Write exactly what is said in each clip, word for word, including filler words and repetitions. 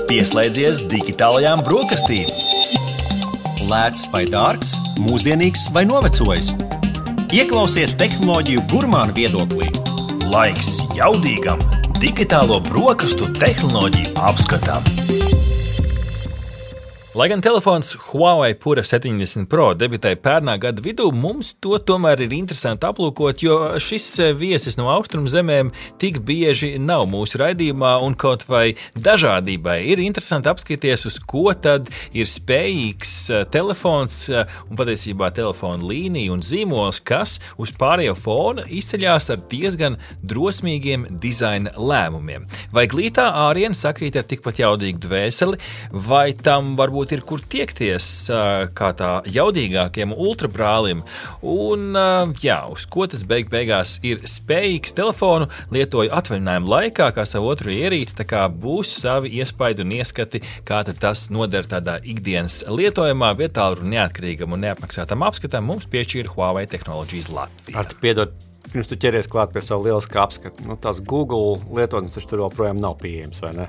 Pieslēdzies digitālajām brokastīm. Lēts vai dārgs, mūsdienīgs vai novecojis. Ieklausies tehnoloģiju gurmānu viedoklī. Laiks jaudīgam digitālo brokastu tehnoloģiju apskatam. Lai gan telefons Huawei Pura septiņdesmit Pro debitēja pērnā gada vidū, mums to tomēr ir interesanti aplūkot, jo šis viesis no austrumu zemēm tik bieži nav mūsu raidījumā, un kaut vai dažādībai ir interesanti apskatīties, uz ko tad ir spējīgs telefons un patiesībā telefona līnija un zīmols, kas uz pārējo fona izceļās ar diezgan drosmīgiem dizaina lēmumiem. Vai glītā āriena sakrīt ar tikpat jaudīgu dvēseli, vai tam varbūt ir kur tiekties kā tā jaudīgākiem ultrabrālim, un jā, uz ko tas beig beigās ir spējīgs telefonu lietoju atvaļinājumu laikā, kā savu otru ierīci, tā kā būs savi iespaidi un ieskati, kā tad tas noder tādā ikdienas lietojumā, vietā un neatkarīgam un neapmaksātam apskatam mums piešķīra Huawei Technologies Latvija. Ar tu piedod, pirms tu ķeries klāt pie savu lieliskā apskatu, nu tās Google lietotnes taču tur joprojām nav pieejams, vai ne?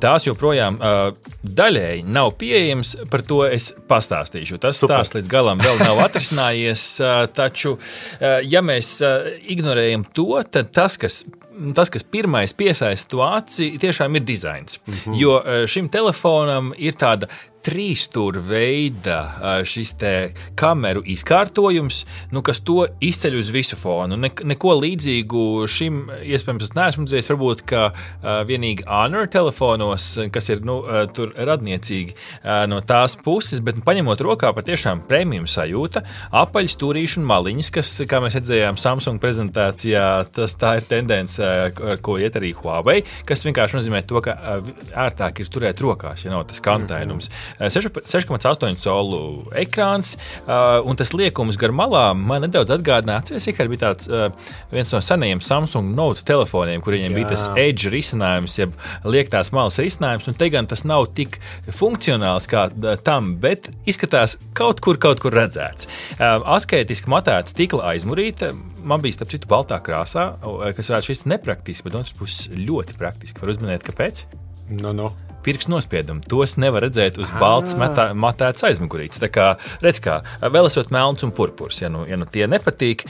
Tās joprojām uh, daļēji nav pieejams, par to es pastāstīšu. Tas stāsts līdz galam vēl nav atrisinājies, uh, taču, uh, ja mēs uh, ignorējam to, tad tas, kas Tas, kas pirmais piesaista to aci, tiešām ir dizains. Mm-hmm. Jo šim telefonam ir tāda trīsstūra veida šis te kameru izkārtojums, nu, kas to izceļ uz visu fonu. Ne, neko līdzīgu šim, iespējams, es neesmu redzējis, varbūt, ka uh, vienīgi Honor telefonos, kas ir, nu, uh, tur radniecīgi uh, no tās puses, bet paņemot rokā patiešām premium sajūta, apaļi stūrīši un maliņas, kas, kā mēs redzējām Samsung prezentācijā, tas tā ir tendence, uh, ko iet arī Huawei, kas vienkārši nozīmē to, ka uh, ērtāk ir turēt rokās, ja nav tas kantainums. Mm-hmm. seši komats astoņi colu ekrāns, uh, un tas liekums gar malām man nedaudz atgādināja, atceries, ka bija tāds uh, viens no senajiem Samsung Note telefoniem, kur viņiem Jā. bija tas edge risinājums, jeb liektās malas risinājums, un te gan tas nav tik funkcionāls kā tam, bet izskatās kaut kur, kaut kur redzēts. Uh, asketiski matēta stikla aizmurīta, man bija starp citu baltā krāsā, kas varētu šis nepraktiski, bet otrs puses ļoti praktiski. Var uzminēt, kāpēc? No, no. Pirkstu nospiedumi. Tos nevar redzēt uz balts matā, matētas aizmugurītes. Tā kā, redz kā, vēl esot melns un purpurs, ja nu, ja nu tie nepatīk.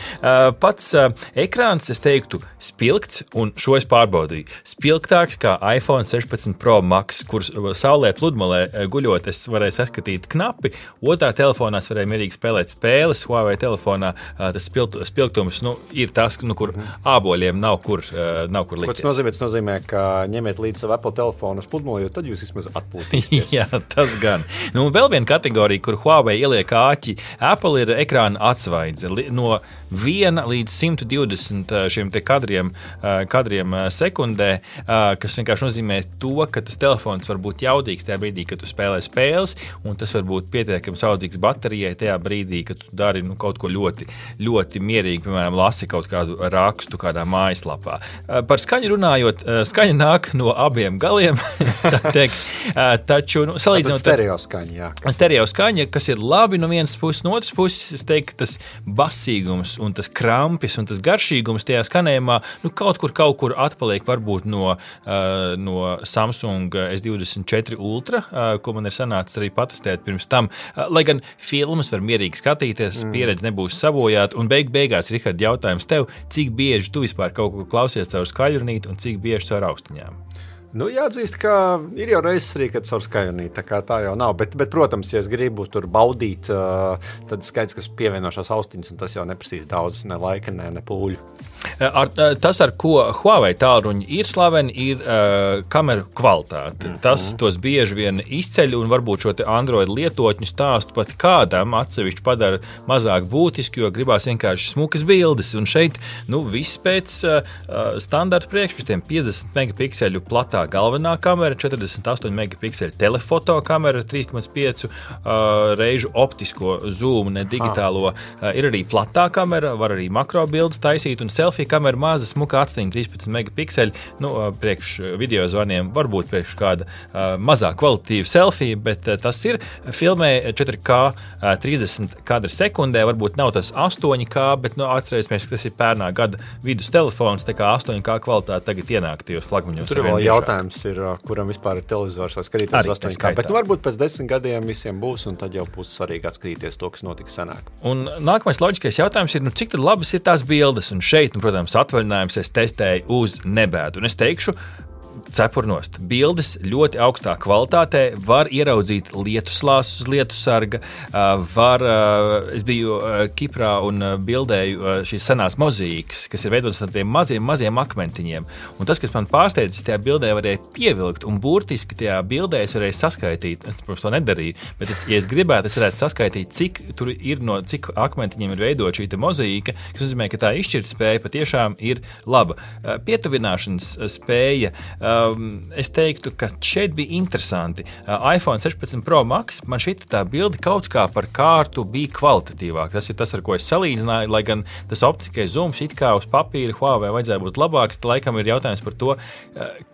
Pats ekrāns, es teiktu, spilgts, un šo es pārbaudīju. Spilgtāks kā iPhone sešpadsmit Pro Max, kur saulē pludmalē guļot, es varēju saskatīt knapi. Otrā telefonā es varēju mierīgi spēlēt spēles. Huawei telefonā tas spilgt, spilgtums, nu, ir tas, nu, kur āboļiem nav kur, nav kur likties. Ko tas nozīmē? Tas nozīmē, ka ņemiet līdzi savu Apple telefonu uz pludmali, jo tad jūs vismaz atpūtīsieties. Jā, tas gan. Nu, vēl viena kategorija, kur Huawei ieliek āķi, Apple ir ekrāna atsvaidze. No viena līdz simt divdesmit šiem te kadriem, kadriem sekundē, kas vienkārši nozīmē to, ka tas telefons var būt jaudīgs tajā brīdī, kad tu spēlē spēles, un tas var būt pietiekami saudzīgs baterijai tajā brīdī, kad tu dari nu, kaut ko ļoti, ļoti mierīgi, piemēram, lasi kaut kādu rakstu kādā mājaslapā. Par skaņu runājot, skaņa nāk no abiem galiem, teikt, taču, nu, salīdzinot... Stereo skaņa, jā. Stereo skaņa, kas ir labi no vienas puses, no otras puses, es teiktu, tas basīgums un tas krampis un tas garšīgums tajā skanējumā, nu, kaut kur, kaut kur atpaliek varbūt no, uh, no Samsung S divdesmit četri Ultra, uh, ko man ir sanācis arī patestēt pirms tam, uh, lai gan filmas var mierīgi skatīties, mm. pieredze nebūs sabojāta, un beig beigās, Rihard, jautājums tev, cik bieži tu vispār kaut ko klausies caur skaļrunīti un cik bieži caur austiņām? Nu, jāatzīst, ka ir jau reizes arī, kad caur skaļrunīti, tā kā tā jau nav. Bet, bet, protams, ja es gribu tur baudīt, tad skaidrs, ka pievienošās austiņas, un tas jau neprasīs daudz, ne laika, ne, ne pūļu. Ar, tas, ar ko Huawei tālruņi ir slaveni, ir uh, kameru kvalitāte. Mm-hmm. Tas tos bieži vien izceļ, un varbūt šo te Android lietotņu stāstu pat kādam atsevišķi padara mazāk būtiski, jo gribās vienkārši smukas bildes. Un šeit, nu, viss pēc uh, standarta priekškastiem piecdesmit megapikseļu platā galvenā kamera, četrdesmit astoņi megapikseļu telefoto kamera, trīs komats pieci uh, reižu optisko zoomu, ne digitālo. Uh, ir arī platā kamera, var arī makro bildes taisīt, un selfie kamera maza, smuka atstiņa, trīspadsmit megapikseļi, nu, priekš video zvaniem, varbūt priekš kāda uh, mazāk kvalitatīva selfie, bet uh, tas ir filmē četri K uh, trīsdesmit kadri sekundē, varbūt nav tas astoņi K, bet, nu, atcerēsimies, ka tas ir pērnā gada vidus telefons, tā kā astoņi K kvalitāte tagad ienāk tajos flagmaņos. Tur vēl jautājums, jautājums ir, kuram vispār ir televizors vai skatīties uz astoņu kā. Bet nu, varbūt pēc desmit gadiem visiem būs, un tad jau būs svarīgi atskatīties to, kas notika senāk. Un nākamais loģiskais jautājums ir, nu, cik tad labas ir tās bildes? Un šeit, nu, protams, atvaļinājums es testēju uz nebēdu. Un es teikšu, cepurnost. Bildes ļoti augstā kvalitātē, var ieraudzīt lietuslāsus uz lietusarga, var, es biju Kiprā un bildēju šīs senās mozīkas, kas ir veidotas ar tiem maziem, maziem akmentiņiem. Un tas, kas man pārsteidzis, tajā bildē varēja pievilkt, un burtiski tajā bildē es varēju saskaitīt, es, protams, to nedarīju, bet es, ja es gribētu, es varētu saskaitīt, cik tur ir no, cik akmentiņiem ir veidot šī mozīka, kas nozīmē, ka tā izšķirtspēja patiešām ir laba. Pietuvināšanas spēja, es teiktu, ka šeit bija interesanti. iPhone sešpadsmit Pro Max, man šita tā bilde kaut kā par kārtu bija kvalitatīvāk. Tas ir tas, ar ko es salīdzināju, lai gan tas optiskais zooms it kā uz papīra Huawei vajadzēja būt labāks, laikam ir jautājums par to,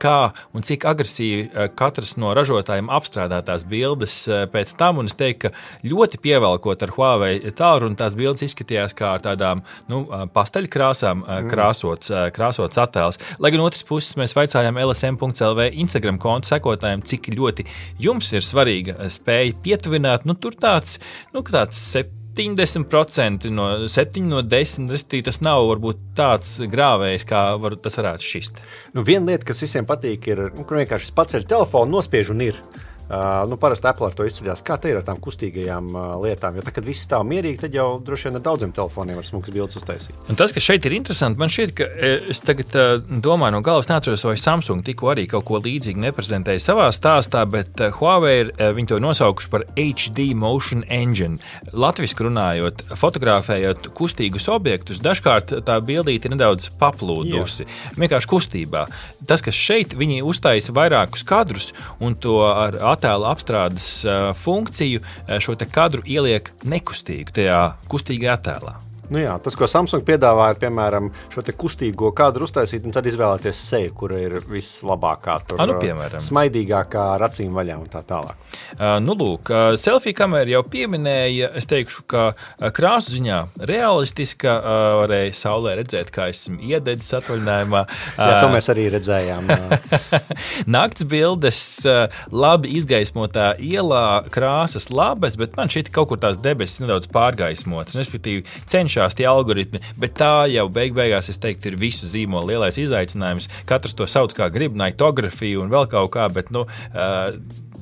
kā un cik agresīvi katrs no ražotājiem apstrādā tās bildes pēc tam, un es teiktu, ka ļoti pievelkot ar Huawei tālruni, tās bildes izskatījās kā ar tādām, nu, pasteļkrāsām krāsots, krāsots attēls. Lai gan otras puses mēs vaicājām L S M punkts L V Instagram kontu sekotājiem, cik ļoti jums ir svarīga spēja pietuvināt, nu tur tāds, nu tāds septiņdesmit procenti no septiņi no desmit, restīvi tas nav varbūt tāds grāvējs, kā var, tas varētu šist. Nu, viena lieta, kas visiem patīk, ir, nu, kur vienkārši paceļ telefonu, nospiež un ir. Uh, nu, parasti Apple ar to izceļās. Kā te ir ar tām kustīgajām uh, lietām? Jo tā, kad viss stāv mierīgi, tad jau droši vien ar daudziem telefoniem var smukas bildes uztaisīt. Un tas, kas šeit ir interesanti, man šķiet, ka es tagad uh, domāju no galvas neatceros, vai Samsung tikko arī kaut ko līdzīgi neprezentēja savā stāstā, bet uh, Huawei ir, uh, viņi to nosaukuši par H D Motion Engine. Latviski runājot, fotografējot kustīgus objektus, dažkārt tā bildīte ir nedaudz paplūdusi, Jā. vienkārši kustībā. Tas, kas šeit, viņi uztaisa vairākus kadrus un to ar attēla apstrādes uh, funkciju šo te kadru ieliek nekustīgu tajā kustīgajā attēlā. Nu jā, tas, ko Samsung piedāvā, ir, piemēram, šo te kustīgo kadru uztaisīt un tad izvēlēties seju, kura ir vislabākā, tur, A, nu, piemēram. smaidīgākā, ar acīm vaļā un tā tālāk. Uh, nu, lūk, uh, selfie kamera jau pieminēja, es teikšu, ka uh, krāsu ziņā realistiska, uh, varēja saulē redzēt, kā esmu iededzis atvaļinājumā. Uh, jā, to mēs arī redzējām. Nakts bildes, uh, labi izgaismotā ielā, krāsas labas, bet man šeit kaut kur tās debesis nedaudz pārgaismotas, respektīvi cenšas tie algoritmi, bet tā jau beig beigās, es teiktu, ir visu zīmolu lielais izaicinājums. Katrs to sauc kā grib, naitografiju un vēl kaut kā, bet nu, uh,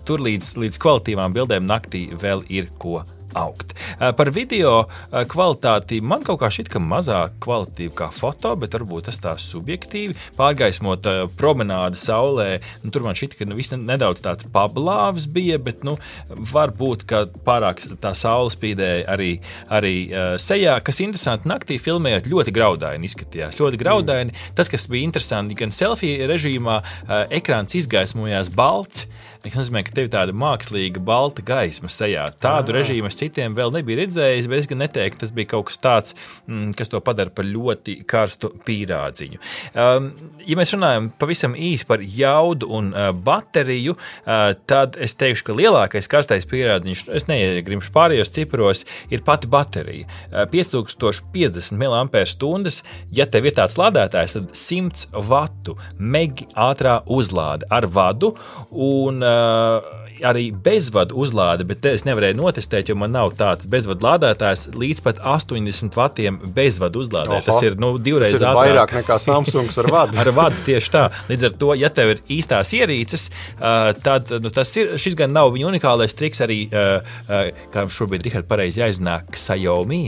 tur līdz, līdz kvalitīvām bildēm naktī vēl ir ko augt. Par video kvalitāti man kaut kā šķiet, ka mazāk kvalitīvi kā foto, bet varbūt tas tā subjektīvi. Pārgaismot promenādi saulē, nu, tur man šķiet, ka nu, viss nedaudz tāds pablāvs bija, bet nu, varbūt, ka pārāk tā saule spīdēja arī, arī uh, sejā, kas interesanti naktī filmējot ļoti graudaini izskatījās. Ļoti graudaini. Mm. Tas, kas bija interesanti, gan selfie režīmā uh, ekrāns izgaismojās balts, kas nozīmē, ka tev tāda mākslīga balta gaisma sejā. Tādu ah. režīmu es citiem vēl nebija redzējis, bet es gan neteiktu, tas bija kaut kas tāds, mm, kas to padara par ļoti karstu pīrādziņu. Um, ja mēs runājam pavisam īsi par jaudu un uh, bateriju, uh, tad es teikšu, ka lielākais karstais pīrādziņš, es neiegrimšu pārējos ciparos, ir pati baterija. Uh, pieci tūkstoši piecdesmit miliampēru stundas, ja tev ir tāds lādētājs, tad simts vatu megi ātrā uzlāde ar vadu un uh, arī bezvadu uzlāde, bet te es nevarēju notestēt, jo man nav tāds bezvadu lādētājs līdz pat astoņdesmit vatiem bezvadu uzlādē. Oho, tas ir nu, divreiz ātrāk. Tas ir ātrāk. vairāk nekā Samsungs ar vadu. Ar vadu tieši tā. Līdz ar to, ja tev ir īstās ierīces, uh, tad nu, tas ir, šis gan nav viņa unikālais triks, arī, uh, uh, kā šobrīd Rihard pareizi jāizzinā, Xiaomi,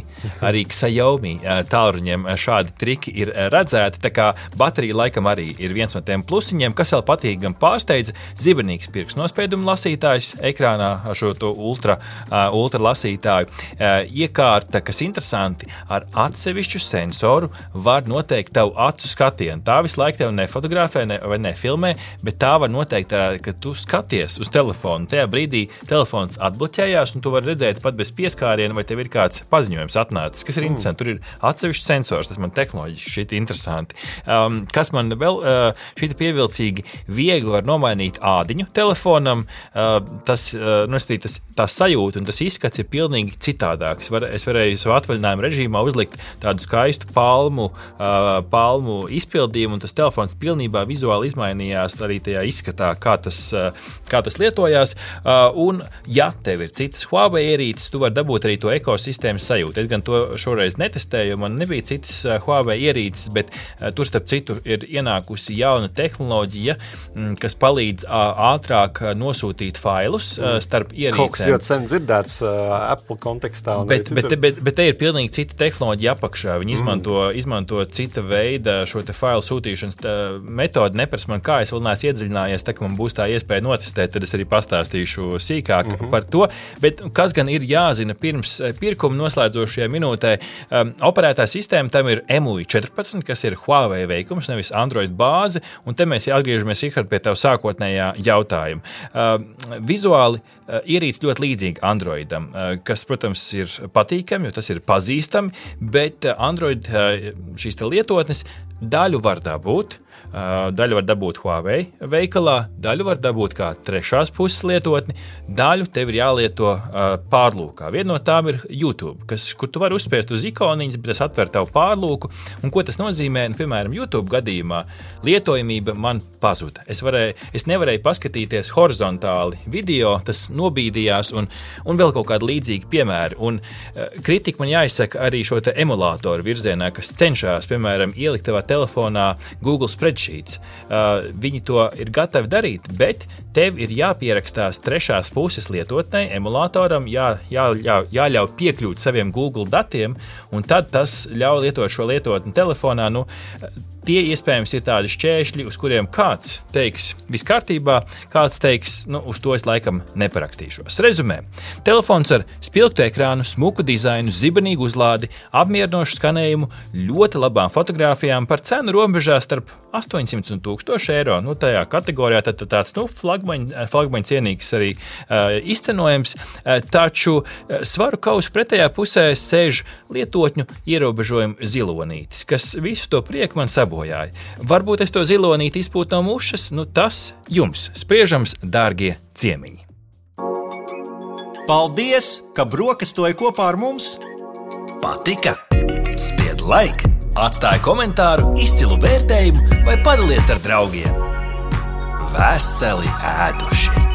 arī Xiaomi uh, tālruņiem šādi triki ir redzēti, tā kā baterija laikam arī ir viens no tiem plusiņiem, kas vēl patīk gan pārsteidza, zibenīgs pirkstu nospiedumu lasītājs ekrānā ar šo to ultra, uh, ultra lasītāju. Uh, iekārta, kas interesanti, ar atsevišķu sensoru var noteikt tavu acu skatienu. Tā visu laiku tev nefotografē ne, vai nefilmē, bet tā var noteikt, tā, ka tu skaties uz telefonu. Tajā brīdī telefons atbloķējās un tu vari redzēt pat bez pieskāriena, vai tev ir kāds paziņojums atnācis, kas ir mm. interesanti. Tur ir atsevišķs sensors, tas man tehnoloģiski šķiet interesanti. Um, kas man vēl uh, šķiet pievilcīgi, viegli var nomainīt ādiņu telefonam. Uh, tas, uh, nu, tas, tā sajūta un tas izskats ir ir pilnīgi citādāks. Var, es varēju savu atvaļinājumu režīmā uzlikt tādu skaistu palmu, uh, palmu izpildījumu, un tas telefons pilnībā vizuāli izmainījās arī tajā izskatā, kā tas, uh, kā tas lietojās. Uh, un, ja tev ir citas Huawei ierīces, tu vari dabūt arī to ekosistēmas sajūtu. Es gan to šoreiz netestēju, man nebija citas uh, Huawei ierīces, bet uh, tur starp citu ir ienākusi jauna tehnoloģija, mm, kas palīdz uh, ātrāk uh, nosūtīt failus uh, starp ierīcēm. Kaut kas ļoti sen dzirdēts uh, Apple kontekstā. Bet, bet, bet, bet te ir pilnīgi cita tehnoloģija apakšā. Viņi izmanto, mm. izmanto cita veida šo te failu sūtīšanas metodi. Nepras man kā, es vēl neesmu iedziļinājies, tā ka man būs tā iespēja notestēt, tad es arī pastāstīšu sīkāk mm-hmm. par to. Bet kas gan ir jāzina pirms pirkuma noslēdzošajā minūtē? Um, operētā sistēma tam ir M U I četrpadsmit, kas ir Huawei veikums, nevis Android bāze, un te mēs atgriežamies, Ihard, pie tavu sākotnējā jautājuma. Um, vizuāli uh, ierīce ļoti līdzīga Androidam, uh, kas, protams, ir patīkami, jo tas ir pazīstami, bet Android šīs te lietotnes daļu var dabūt. Daļu var dabūt Huawei veikalā, daļu var dabūt kā trešās puses lietotni, daļu tev ir jālieto pārlūkā. Viena no tām ir YouTube, kas, kur tu vari uzspiest uz ikoniņas, bet tas atver tavu pārlūku. Un ko tas nozīmē? Nu, piemēram, YouTube gadījumā lietojamība man pazuda. Es, varēju, es nevarēju paskatīties horizontāli video, tas nobīdījās un, un vēl kaut kādi līdzīgi piemēri. Un kritika man jāizsaka arī šo te emulātoru virzienā, kas cenšas, piemēram, ielikt tavā telefonā Google Spreadsheets. Uh, viņi to ir gatavi darīt, bet tev ir jāpierakstās trešās puses lietotnei, emulātoram, jā, jā, jā, jāļauj piekļūt saviem Google datiem, un tad tas ļauj lietot šo lietotni telefonā. Nu, tie iespējams ir tādi šķēršļi, uz kuriem kāds teiks viss kārtībā, kāds teiks, nu, uz to es laikam neparakstīšos. Rezumē. Telefons ar spilgtu ekrānu, smuku dizainu, zibenīgu uzlādi, apmierinošu skanējumu, ļoti labām fotogrāfijām par cenu robežā starp astoņsimt un tūkstoši eiro. Nu, tajā kategorijā tad tāds, nu, flagmaņa, flagmaņa cienīgs arī uh, izcenojums, uh, taču uh, svaru kausu pretējā pusē sēž lietotņu ierobežojumu zilonītis, kas visu to prieku man sabojāja. Varbūt es to zilonīti izpūtu no mušas, nu tas jums spriežams, dārgie ciemiņi. Paldies, ka brokastoji kopā ar mums! Patika? Spied like, atstāj komentāru, izcilu vērtējumu vai padalies ar draugiem. Veseli ēduši!